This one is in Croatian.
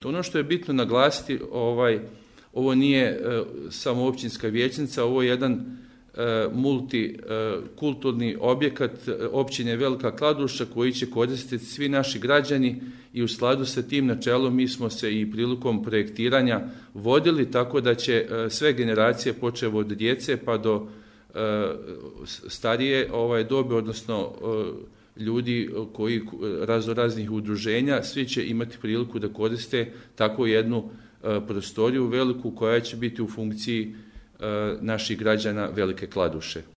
Ono što je bitno naglasiti, ovo nije samo općinska vijećnica, ovo je jedan multikulturni objekat općine Velika Kladuša koji će koristiti svi naši građani i u skladu sa tim načelom mi smo se i prilikom projektiranja vodili tako da će sve generacije počev od djece pa do starije dobe, odnosno ljudi koji raznih udruženja, svi će imati priliku da koriste tako jednu prostoriju veliku koja će biti u funkciji naših građana Velike Kladuše.